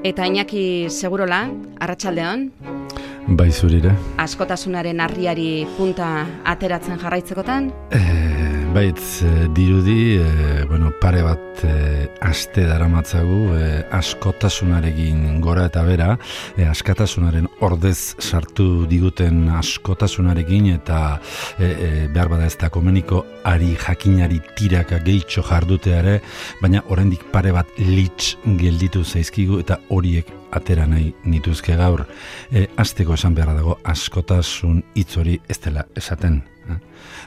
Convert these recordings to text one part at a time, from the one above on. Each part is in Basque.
Eta Iñaki Segurola, arratsaldeon. Bai zurire. Askotasunaren harriari punta ateratzen jarraitzekotan? Baitz, dirudi, pare bat aste daramatzagu askotasunarekin gora eta bera, askatasunaren ordez sartu diguten askotasunarekin eta behar bada ez da komeniko ari jakinari tiraka gehitxo jarduteare, baina oraindik pare bat litz gelditu zaizkigu eta horiek atera nahi nituzke gaur. Hasteko esan beharra dago askotasun hitz hori ez dela esaten.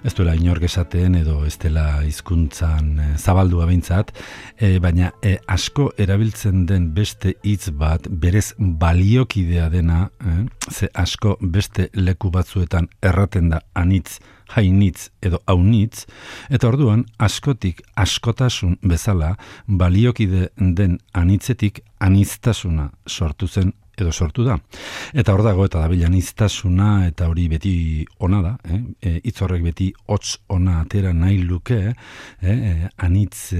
Ez duela inork esaten edo ez dela hizkuntzan zabaldua behintzat, baina asko erabiltzen den beste hitz bat berez baliokidea dena, ze asko beste leku batzuetan erraten da anitz, hainitz edo haunitz, eta orduan askotik askotasun bezala baliokide den anitzetik aniztasuna sortu zen edo sortu da. Eta hor dago eta dabil aniztasuna eta hori beti ona da, hitz horrek beti hots ona atera nahi luke, anitz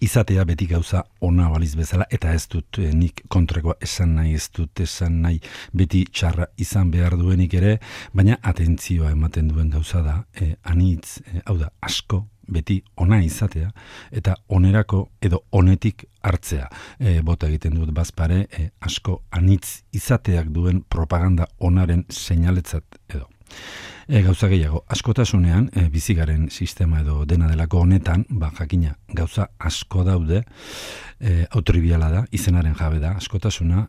izatea beti gauza ona baliz bezala, eta ez dut nik kontrakoa esan nahi, ez dut esan nahi beti txarra izan behar duenik ere, baina atentzioa ematen duen gauza da, anitz, hau da, asko, beti ona izatea, eta onerako edo onetik hartzea. Bota egiten dut bazpare, asko anitz izateak duen propaganda onaren seinaletzat edo. Gauza gehiago, askotasunean, bizigaren sistema edo dena delako honetan, jakina, gauza asko daude, autoribiala da, izenaren jabe da, askotasuna,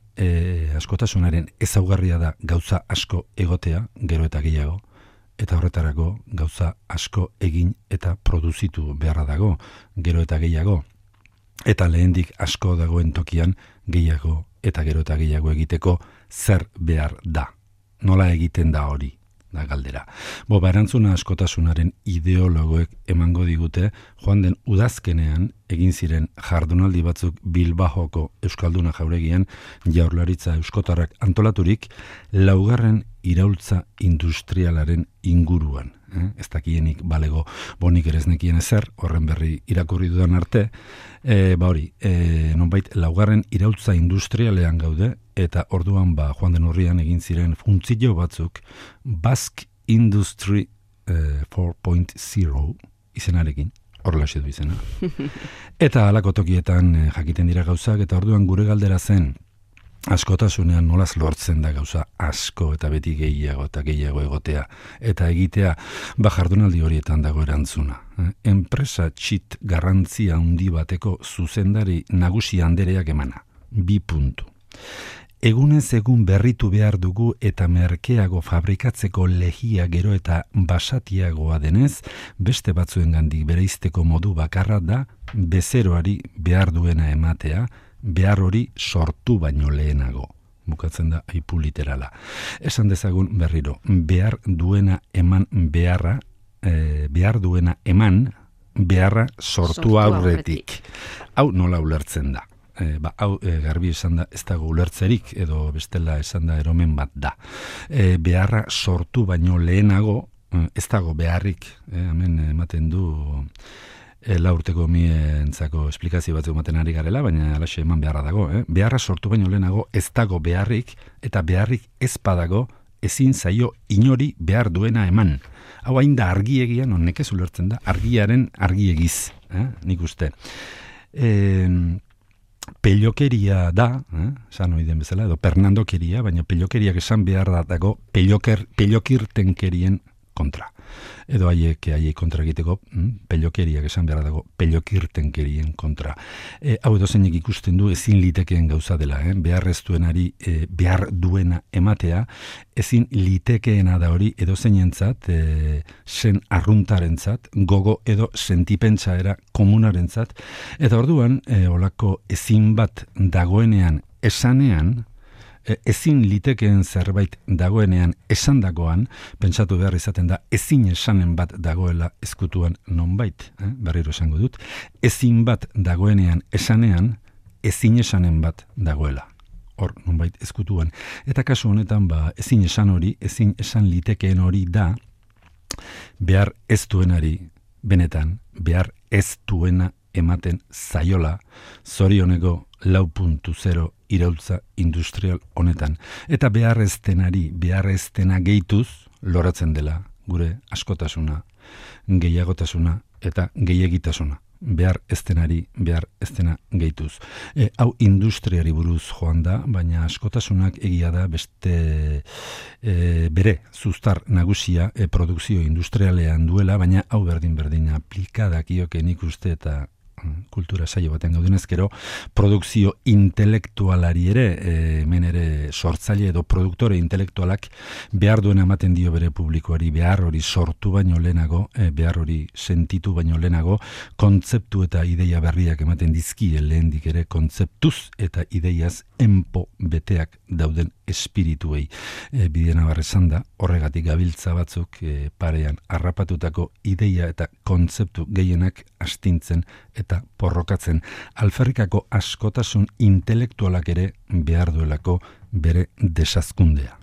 askotasunaren ezaugarria da gauza asko egotea, gero eta gehiago, eta horretarako gauza asko egin eta produzitu beharra dago, gero eta gehiago, eta lehendik asko dagoen tokian gehiago eta gero eta gehiago egiteko zer behar da. Nola egiten da hori? Da galdera. Erantzuna askotasunaren ideologoek emango digute, joan den udazkenean egin ziren jardunaldi batzuk Bilbaoko Euskalduna jauregian Jaurlaritza Euskotarrak antolaturik 4. iraultza industrialaren inguruan. Ez dakienik balego bonik ere ez nekien ezer, horren berri irakurri dudan arte, nonbait 4. iraultza industrialean gaude, eta orduan joan den horrian egin ziren funtzio batzuk Basque Industry 4.0 izenarekin, horrela du izena. Eta halako tokietan jakiten dira gauzak, eta orduan gure galdera zen, askotasunean nolaz lortzen da gauza asko eta beti gehiago eta gehiago egotea eta egitea, jardunaldi horietan dago erantzuna. Enpresa txit garrantzia handi bateko zuzendari nagusi andereak emana. 2 puntu. Egunez egun berritu behar dugu eta merkeago fabrikatzeko lehia gero eta basatiagoa denez, beste batzuengandik bereizteko modu bakarra da bezeroari behar duena ematea, behar hori sortu baino lehenago. Bukatzen da aipu literala. Esan dezagun berriro, behar duena eman beharra, behar duena eman beharra sortu aurretik. Hau nola ulertzen da? Hau garbi esan da ez dago ulertzerik edo bestela esan da eromen bat da. Beharra sortu baino lehenago ez dago beharrik, hemen ematen du 4 urteko mientzako esplikazio batzuk ematen ari garela, baina alaxe eman beharra dago. Beharra sortu baino lehenago ez dago beharrik, eta beharrik ez badago ezin zaio inori behar duena eman. Hau hain da argiegian, nekez ulertzen da, argiaren argiegiz, nik uste. Pelokeria da, esan oiden bezala, edo pernandokeria, baina pelokeriak esan behar dago pelokirtenkerien kontra. Edo haiek kontra egiteko, pelokeriak esan behar dago pelokirtenkerien kontra. Hau edo zeinek ikusten du ezin litekeen gauza dela, behar ez duenari behar duena ematea, ezin litekeena da hori edo zeinentzat, sen arruntarentzat, gogo edo sentipentsaera komunarentzat, eta orduan, olako ezin bat dagoenean esanean, ezin litekeen zerbait dagoenean esandakoan, pentsatu behar izaten da ezin esanen bat dagoela ezkutuan nonbait, berriro esango dut, ezin bat dagoenean esanean, ezin esanen bat dagoela. Hor, nonbait ezkutuan. Eta kasu honetan, ezin esan hori, ezin esan litekeen hori da, behar ez duenari benetan behar ez duena ematen zaiola zorioneko 4.0 iraultza industrial honetan. Eta beharreztena gehituz loratzen dela gure askotasuna, gehiagotasuna eta gehiagitasuna. Behar eztena gehituz. Hau industriari buruz joan da, baina askotasunak egia da beste bere zuztar nagusia produkzio industrialean duela, baina hau berdin aplikadak ioke nik uste eta kultura saio baten gaudenez, gero produkzio intelektualari ere, hemen ere sortzaile edo produktore intelektualak behar duena ematen dio bere publikoari, behar hori sortu baino lehenago, behar hori sentitu baino lehenago, kontzeptu eta ideia berriak ematen dizkie lehendik ere kontzeptuz eta ideiaz enpo beteak dauden espirituei. Bidena barrezan da, horregatik gabiltza batzuk parean harrapatutako ideia eta kontzeptu gehienak astintzen eta porrokatzen. Alferrikako askotasun intelektualak ere behar duelako bere desazkundea.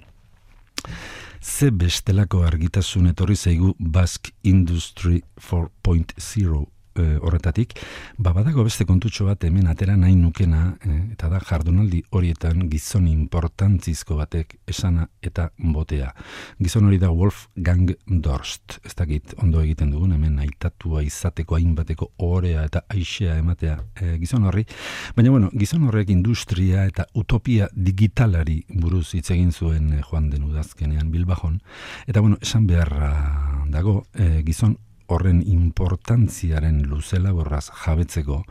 Ze bestelako argitasun etorri zaigu Basque Industry 4.0 horretatik, badago beste kontutxo bat hemen atera nahi nukena, eta da jardunaldi horietan gizon importantzizko batek esana eta botea. Gizon hori da Wolfgang Dorst. Ez dakit ondo egiten dugun, hemen aitatua izateko hainbateko ohorea eta aixea ematea gizon horri. Baina, gizon horrek industria eta utopia digitalari buruz hitz egin zuen joan den udazkenean Bilbajon. Eta, esan beharra dago, gizon horren importantziaren luzela borraz jabetzeko,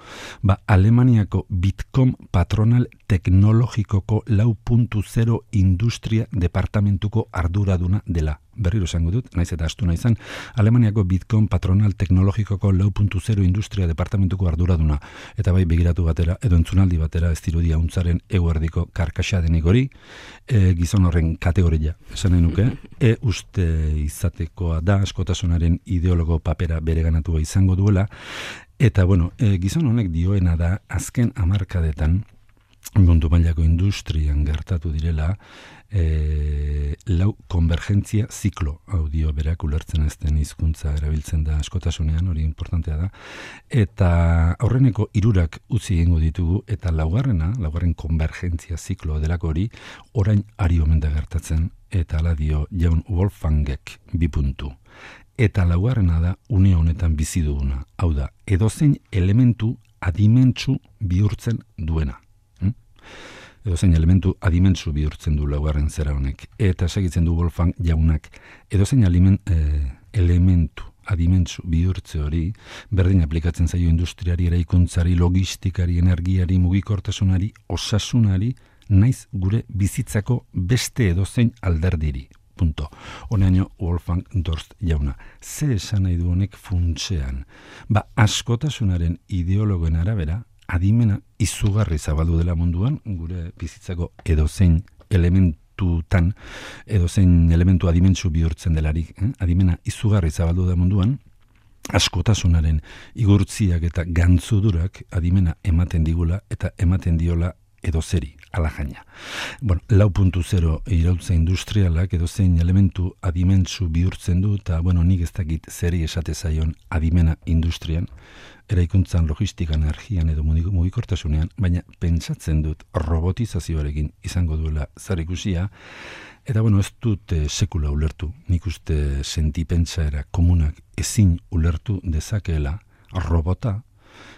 Alemaniako Bitkom patronal teknologikoko 4.0 industria departamentuko arduraduna dela. Berriro esango dut, naiz eta astu naizan, Alemaniako Bitkom patronal teknologikoko 4.0 industria departamentuko arduraduna. Eta bai begiratu batera, edo entzunaldi batera, ez dirudia untzaren eguerdiko karkaxadenik hori, gizon horren kategoria, esan nahi nuke, uste izatekoa da, askotasunaren ideologo papera bereganatua izango duela, eta gizon honek dioena da, azken hamarkadetan, mundu mailako industrian gertatu direla, lau konvergentzia ziklo, audio berak ulertzen ez den hizkuntza erabiltzen da askotasunean, hori importantea da, eta aurreneko 3 utzi egingo ditugu, eta laugarren konvergentzia ziklo delako hori, orain ari omen da gertatzen, eta ala dio jaun Wolfgangek 2 puntu. Eta laugarrena da une honetan bizi duguna, hau da, edozein elementu adimentsu bihurtzen duena. Edozein elementu adimentsu bihurtzen du laugarren zera honek. Eta segitzen du Wolfgang jaunak, edozein elementu adimentsu bihurtze hori, berdin aplikatzen zaio industriari, eraikuntzari, logistikari, energiari, mugikortasunari, osasunari, naiz gure bizitzako beste edozein alderdiri. Punto. Honeaino Wolfgang Dorst jauna. Ze esan nahi du honek funtsean? Askotasunaren ideologoen arabera, adimena izugarri zabaldu dela munduan, gure bizitzako edozein elementutan, edozein elementu adimentsu bihurtzen delarik, adimena izugarri zabaldu da munduan, askotasunaren igurtziak eta gantzudurak adimena ematen digula eta ematen diola edozeri, alajaina. 4.0 iraultza industrialak edozein elementu adimentsu bihurtzen du, eta nik ez dakit zeri esate zaion adimena industrian, eraikuntzan, logistikan, energian edo mugikortasunean, baina pentsatzen dut robotizazioarekin izango duela zer ikusia, eta ez dut sekula ulertu, nik uste sentipentsaera komunak ezin ulertu dezakeela robota,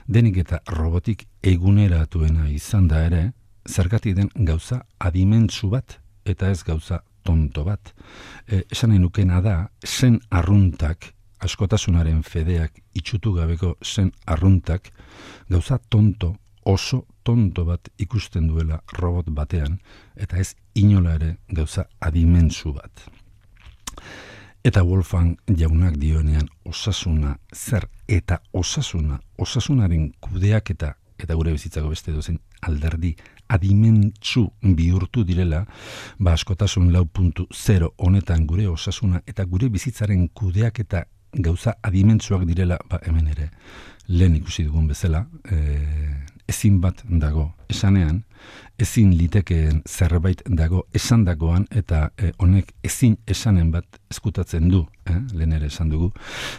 denik eta robotik eguneratuena izan da ere, zergatik den gauza adimentsu bat, eta ez gauza tonto bat. Esan nahi nukena da, zen arruntak, askotasunaren fedeak itxutu gabeko zen arruntak, gauza tonto, oso tonto bat ikusten duela robot batean, eta ez inola ere gauza adimentsu bat. Eta Wolfgang jaunak dioenean osasuna zer eta osasunaren kudeaketa eta gure bizitzako beste dozen alderdi adimentsu bihurtu direla, askotasun 4.0 honetan gure osasuna eta gure bizitzaren kudeaketa gauza adimentsuak direla, hemen ere lehen ikusi dugun bezala, ezin bat dago esanean, ezin litekeen zerbait dago esandakoan, eta honek ezin esanen bat ezkutatzen du, lehen ere esan dugu,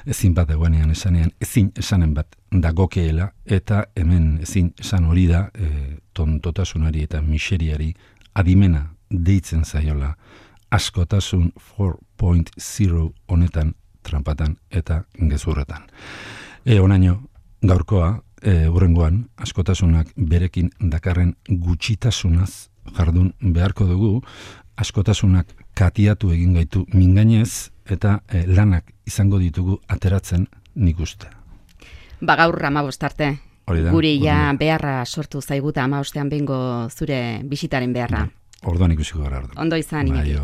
ezin bat dagoenean esanean, ezin esanen bat dagokeela, eta hemen ezin esan hori da tontotasunari eta miseriari adimena deitzen zaiola, askotasun 4.0 honetan, tranpatan eta gezurretan. Onaino, gaurkoa, hurrengoan, askotasunak berekin dakarren gutxitasunaz jardun beharko dugu, askotasunak katiatu egin gaitu mingainez, eta lanak izango ditugu ateratzen nik uste. Gaur 15 arte. Guri ja beharra sortu zaiguta 15ean behingo zure bisitaren beharra. Orduan ikusiko gara. Ondo izan, Iñaki.